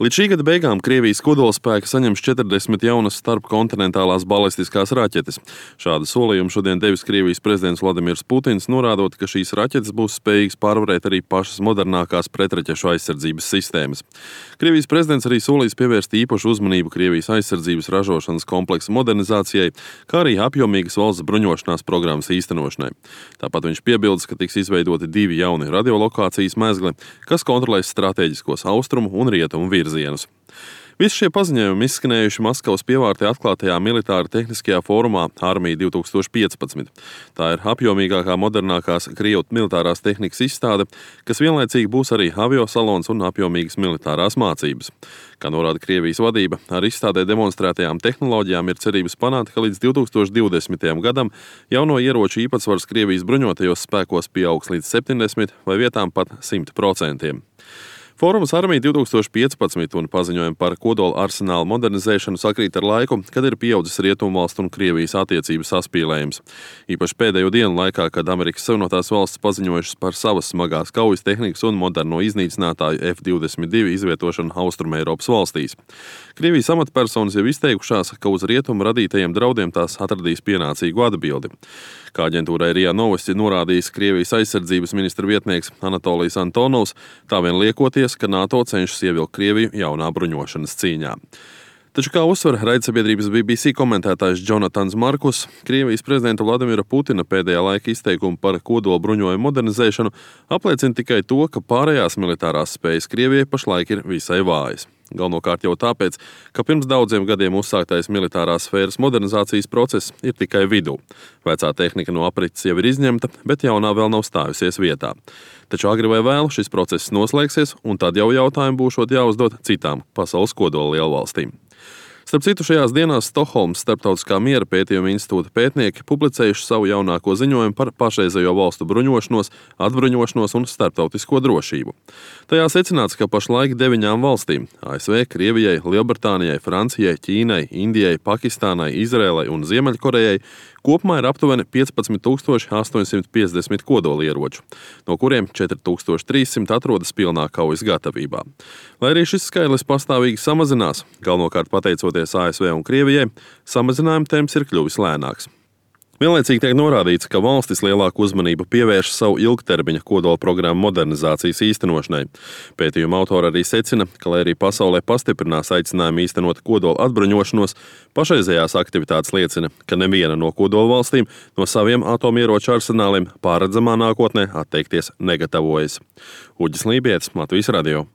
Līdz šī gada beigām Krievijas kodolspēki saņems 40 jaunas starpkontinentālās balistiskās raķetes. Šādu solījumu šodien devis Krievijas prezidents Vladimirs Putins, norādot, ka šīs raķetes būs spējīgas pārvarēt arī pašas modernākās pretraķešu aizsardzības sistēmas. Krievijas prezidents arī solīs pievērst īpašu uzmanību Krievijas aizsardzības ražošanas kompleksa modernizācijai, kā arī apjomīgas valsts bruņošanās programmas īstenošanai. Tāpat viņš piebildes, ka tiks izveidoti 2 jauni radiolokācijas mezgli, kas kontrolēs stratēģiskos austrumu un rietumu virzienus. Visi šie paziņojumi izskanējuši Maskavas pievārtē atklātajā militāra tehniskajā fórumā Armija 2015. Tā ir apjomīgākā modernākās Krievu militārās tehnikas izstāde, kas vienlaicīgi būs arī aviosalons un apjomīgas militārās mācības. Kā norāda Krievijas vadība, ar izstādē demonstrētajām tehnoloģijām ir cerības panākt, ka līdz 2020. gadam jauno ieroču īpatsvars Krievijas bruņotajos spēkos pieaugs līdz 70% vai vietām pat 100%. Fórums Armija 2015 un paziņojumi par kodola arsenālu modernizēšanu sakrīt ar laiku, kad ir pieaudzis Rietumvalstu un Krievijas attiecību saspīlējums. Īpaši pēdējo dienu laikā, kad Amerikas Savienotās valstis paziņojušas par savas smagās kaujas tehnikas un moderno iznīcinātāju F-22 izvietošanu Austrumeiropas valstīs. Krievijas amatpersonas jau izteikušās, ka uz rietumu radītajiem draudiem tās atradīs pienācīgu atbildi. Kā aģentūrai RIA Novosti norādījis Krievijas aizsardzības ministra vietnieks Anatolijs Antonovs, tā vien liekoties, ka NATO cenšas ievilkt Krieviju jaunā bruņošanas cīņā. Taču, kā uzsver raidsabiedrības BBC komentētājs Jonatans Markus, Krievijas prezidenta Vladimira Putina pēdējā laika izteikumi par kodola bruņojumu modernizēšanu apliecina tikai to, ka pārējās militārās spējas Krievijai pašlaik ir visai vājas. Galvenokārt jau tāpēc, ka pirms daudziem gadiem uzsāktais militārās sfēras modernizācijas process ir tikai vidū. Vecā tehnika no aprits jau ir izņemta, bet jaunā vēl nav stājusies vietā. Taču agri vai vēlu šis process noslēgsies, un tad jau jautājumi būšot jāuzdod citām pasaules kodola lielvalstīm. Starp citu, šajās dienās Stokholmas Starptautiskā miera pētījuma institūta pētnieki publicējuši savu jaunāko ziņojumu par pašreizējo valstu bruņošanos, atbruņošanos un starptautisko drošību. Tajā secināts, ka pašlaik 9 valstīm – ASV, Krievijai, Lielbritānijai, Francijai, Ķīnai, Indijai, Pakistānai, Izrēlai un Ziemeļkorejai kopumā ir aptuveni 15,850 kodolieroču, no kuriem 4,300 atrodas pilnā kaujas gatavībā. Lai arī šis skaitlis pastāvīgi samazinās, galvenokārt pateicoties ASV un Krievijai, samazinājuma temps ir kļuvis lēnāks. Vienlaicīgi tiek norādīts, ka valstis lielāku uzmanību pievērš savu ilgtermiņa kodola programmu modernizācijas īstenošanai. Pētījuma autori arī secina, ka, lai arī pasaulē pastiprinās aicinājumu īstenot kodola atbruņošanos, pašreizējās aktivitātes liecina, ka neviena no kodola valstīm no saviem atomieroču arsenāliem pārredzamā nākotnē atteikties negatavojas. Uģis Lībietis, Latvijas radio.